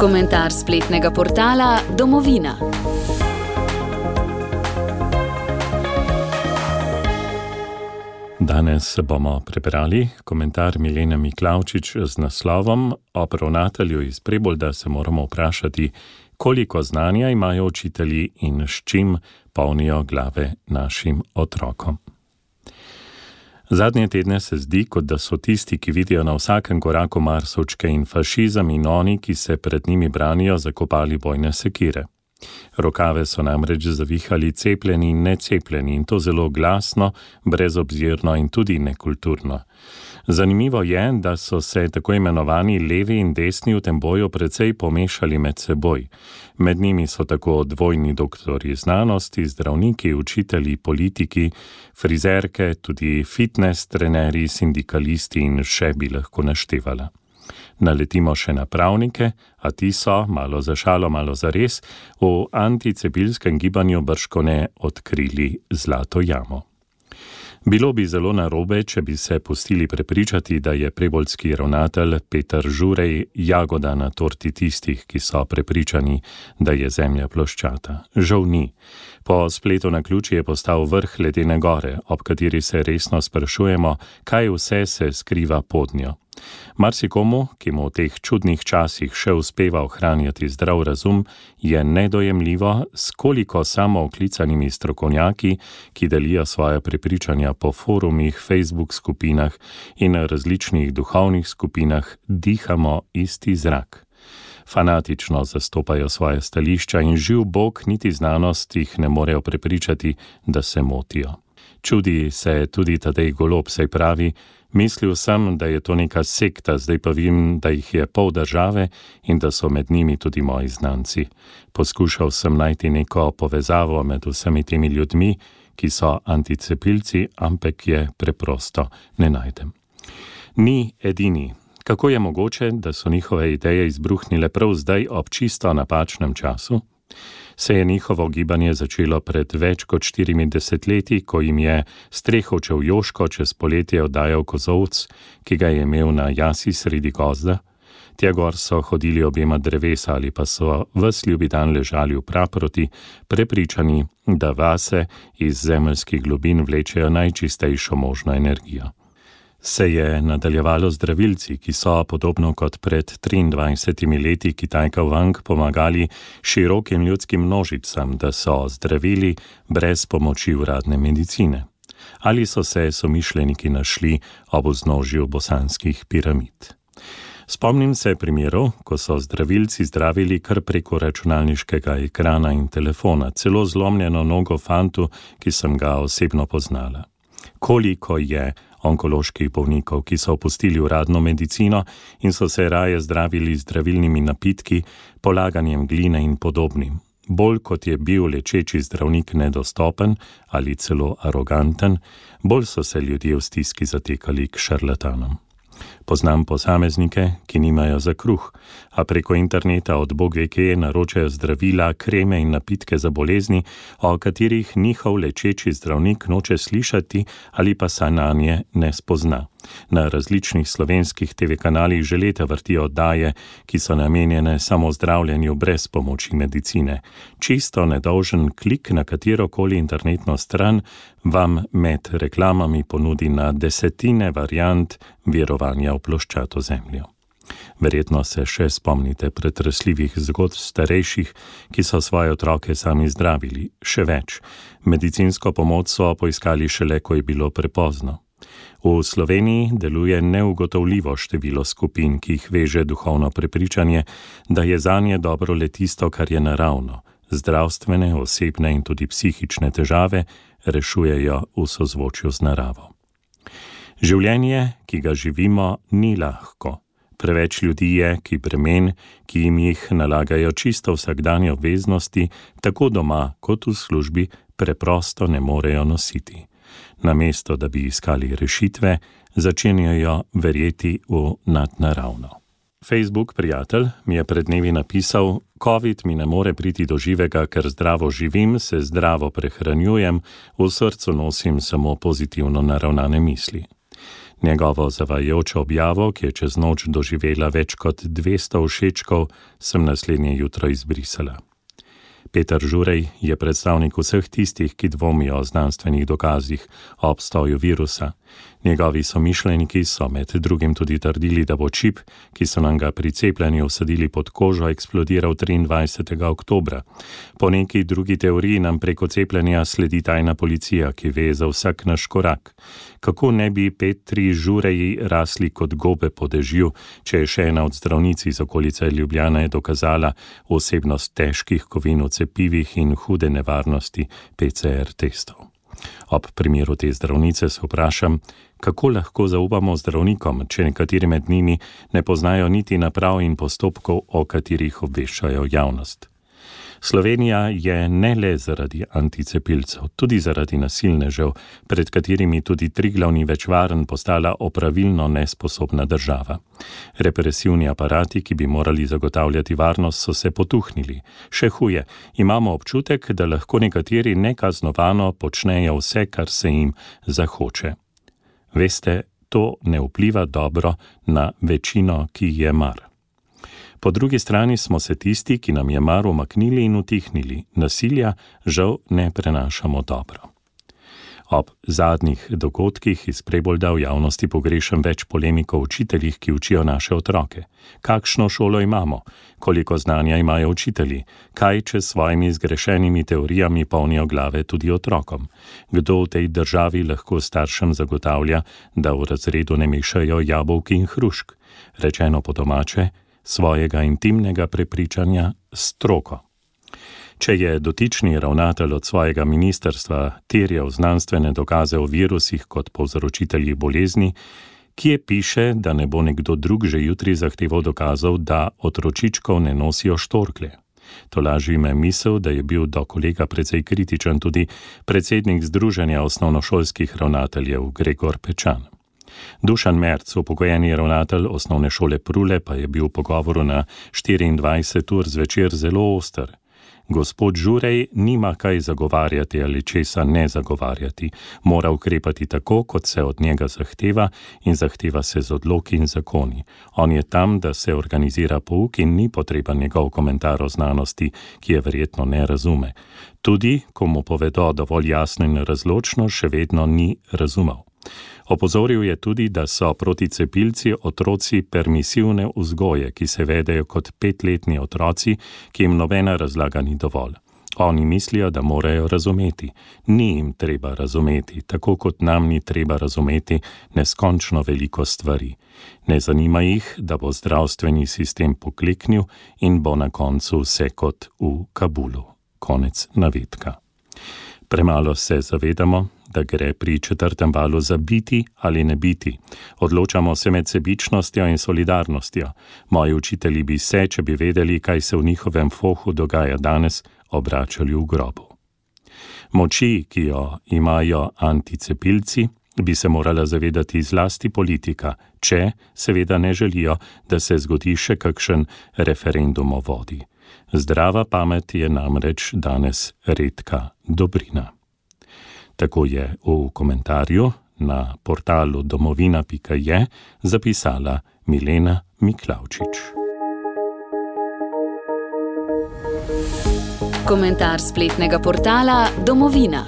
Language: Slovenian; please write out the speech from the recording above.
Komentar spletnega portala Domovina. Danes bomo prebrali komentar Milene Miklavčič z naslovom Ob ravnatelju iz Prebolda se moramo vprašati, koliko znanja imajo učitelji in s čim polnijo glave našim otrokom. Zadnje tedne se zdi, kot da so tisti, ki vidijo na vsakem koraku marsovčke in fašizem in oni, ki se pred njimi branijo, zakopali bojne sekire. Rokave so namreč zavihali cepljeni in necepljeni in to zelo glasno, brezobzirno in tudi nekulturno. Zanimivo je, da so se tako imenovani levi in desni v tem boju precej pomešali med seboj. Med njimi so tako dvojni doktorji znanosti, zdravniki, učitelji, politiki, frizerke, tudi fitness trenerji, sindikalisti in še bi lahko naštevala. Naletimo še na pravnike, a ti so, malo za šalo, malo za res, v anticepilskem gibanju bržkone odkrili zlato jamo. Bilo bi zelo narobe, če bi se pustili prepričati, da je preboldski ravnatelj Peter Žurej jagoda na torti tistih, ki so prepričani, da je zemlja ploščata. Žal ni. Po spletu naključje je postal vrh ledene gore, ob kateri se resno sprašujemo, kaj vse se skriva pod njo. Marsikomu, ki mu v teh čudnih časih še uspeva ohranjati zdrav razum, je nedojemljivo, s koliko samooklicanimi strokovnjaki, ki delijo svoje prepričanja po forumih, Facebook skupinah in različnih duhovnih skupinah, dihamo isti zrak. Fanatično zastopajo svoje stališča in živ Bog niti znanost jih ne morejo prepričati, da se motijo. Čudi se tudi Tadej Golob, saj pravi, mislil sem, da je to neka sekta, zdaj pa vem, da jih je pol države in da so med njimi tudi moji znanci. Poskušal sem najti neko povezavo med vsemi temi ljudmi, ki so anticepilci, ampak je preprosto ne najdem. Ni edini. Kako je mogoče, da so njihove ideje izbruhnile prav zdaj ob čisto napačnem času? Se je njihovo gibanje začelo pred več kot 40 leti, ko jim je strehovčev Joško čez poletje oddajal kozovc, ki ga je imel na jasi sredi gozda. Tja gor so hodili objema drevesa ali pa so ves ljubi dan ležali v praproti, prepričani, da vase iz zemeljskih globin vlečejo najčistejšo možno energijo. Se je nadaljevalo zdravilci, ki so, podobno kot pred 23 leti Kitajka Wang, pomagali širokim ljudskim množicam, da so zdravili brez pomoči uradne medicine. Ali so se somišljeniki našli ob vznožju bosanskih piramid. Spomnim se primerov, ko so zdravilci zdravili kar preko računalniškega ekrana in telefona, celo zlomljeno nogo fantu, ki sem ga osebno poznala. Koliko je onkoloških bolnikov, ki so opustili uradno medicino in so se raje zdravili z zdravilnimi napitki, polaganjem gline in podobnim. Bolj kot je bil lečeči zdravnik nedostopen ali celo aroganten, bolj so se ljudje v stiski zatekali k šarlatanom. Poznam posameznike, ki nimajo za kruh, a preko interneta od bog ve kje naročajo zdravila, kreme in napitke za bolezni, o katerih njihov lečeči zdravnik noče slišati ali pa se nanje ne spozna. Na različnih slovenskih TV kanalih že leta vrtijo oddaje, ki so namenjene samo zdravljenju brez pomoči medicine. Čisto nedolžen klik na katerokoli internetno stran vam med reklamami ponudi na desetine variant verovanja v ploščato zemljo. Verjetno se še spomnite pretresljivih zgodb starejših, ki so svoje otroke sami zdravili. Še več, medicinsko pomoč so poiskali šele, ko je bilo prepozno. V Sloveniji deluje neugotovljivo število skupin, ki jih veže duhovno prepričanje, da je zanje dobro le tisto, kar je naravno. Zdravstvene, osebne in tudi psihične težave rešujejo v sozvočju z naravo. Življenje, ki ga živimo, ni lahko. Preveč ljudi je, ki bremen, ki jim jih nalagajo čisto vsakdanje obveznosti, tako doma kot v službi, preprosto ne morejo nositi. Namesto, da bi iskali rešitve, začenjajo verjeti v nadnaravno. Facebook prijatelj mi je pred dnevi napisal: COVID mi ne more priti do živega, ker zdravo živim, se zdravo prehranjujem, v srcu nosim samo pozitivno naravnane misli. Njegovo zavajajočo objavo, ki je čez noč doživela več kot 200 všečkov, sem naslednje jutro izbrisala. Peter Žurej je predstavnik vseh tistih, ki dvomijo o znanstvenih dokazih o obstoju virusa. Njegovi somišljeniki so med drugim tudi trdili, da bo čip, ki so nam ga pri cepljenju vsadili pod kožo, eksplodiral 23. oktobra. Po neki drugi teoriji nam preko cepljenja sledi tajna policija, ki ve za vsak naš korak. Kako ne bi Petri Žureji rasli kot gobe po dežju, če je še ena od zdravnic iz okolice Ljubljane dokazala osebnost težkih kovin v cepivih in hude nevarnosti PCR testov. Ob primeru te zdravnice se vprašam, kako lahko zaupamo zdravnikom, če nekateri med njimi ne poznajo niti naprav in postopkov, o katerih obveščajo javnost. Slovenija je ne le zaradi anticepilcev, tudi zaradi nasilnežev, pred katerimi tudi Triglav ni več varen, postala opravilno nesposobna država. Represivni aparati, ki bi morali zagotavljati varnost, so se potuhnili. Še huje, imamo občutek, da lahko nekateri nekaznovano počnejo vse, kar se jim zahoče. Veste, to ne vpliva dobro na večino, ki je mar. Po drugi strani smo se tisti, ki nam je mar, umaknili in utihnili. Nasilja žal ne prenašamo dobro. Ob zadnjih dogodkih iz Prebolda v javnosti pogrešam več polemik o učiteljih, ki učijo naše otroke. Kakšno šolo imamo? Koliko znanja imajo učitelji? Kaj, če s svojimi zgrešenimi teorijami polnijo glave tudi otrokom? Kdo v tej državi lahko staršem zagotavlja, da v razredu ne mešajo jabolk in hrušk? Rečeno po domače, svojega intimnega prepričanja stroko. Če je dotični ravnatelj od svojega ministrstva terjal znanstvene dokaze o virusih kot povzročiteljih bolezni, kje piše, da ne bo nekdo drug že jutri zahteval dokazov, da otročičkov ne nosijo štorklje. To laži me misel, da je bil do kolega precej kritičen tudi predsednik Združenja osnovnošolskih ravnateljev Gregor Pečan. Dušan Merc, upokojeni ravnatelj osnovne šole Prule, pa je bil v pogovoru na 24 ur zvečer zelo oster. Gospod Žurej nima kaj zagovarjati ali česa ne zagovarjati. Mora ukrepati tako, kot se od njega zahteva in zahteva se z odloki in zakoni. On je tam, da se organizira pouk in ni potreben njegov komentar o znanosti, ki je verjetno ne razume. Tudi, ko mu povedo dovolj jasno in razločno, še vedno ni razumel. Opozoril je tudi, da so proticepilci otroci permisivne vzgoje, ki se vedejo kot 5-letni otroci, ki jim nobena razlaga ni dovolj. Oni mislijo, da morajo razumeti. Ni jim treba razumeti, tako kot nam ni treba razumeti neskončno veliko stvari. Ne zanima jih, da bo zdravstveni sistem pokleknil in bo na koncu vse kot v Kabulu. Konec navedka. Premalo se zavedamo, da gre pri 4. valu za biti ali ne biti. Odločamo se med sebičnostjo in solidarnostjo. Moji učitelji bi se, če bi vedeli, kaj se v njihovem fohu dogaja danes, obračali v grobu. Moči, ki jo imajo anticepilci, bi se morala zavedati zlasti politika, če seveda ne želijo, da se zgodi še kakšen referendum o vodi. Zdrava pamet je namreč danes redka dobrina. Tako je v komentarju na portalu domovina.je zapisala Milena Miklavčič. Komentar spletnega portala Domovina.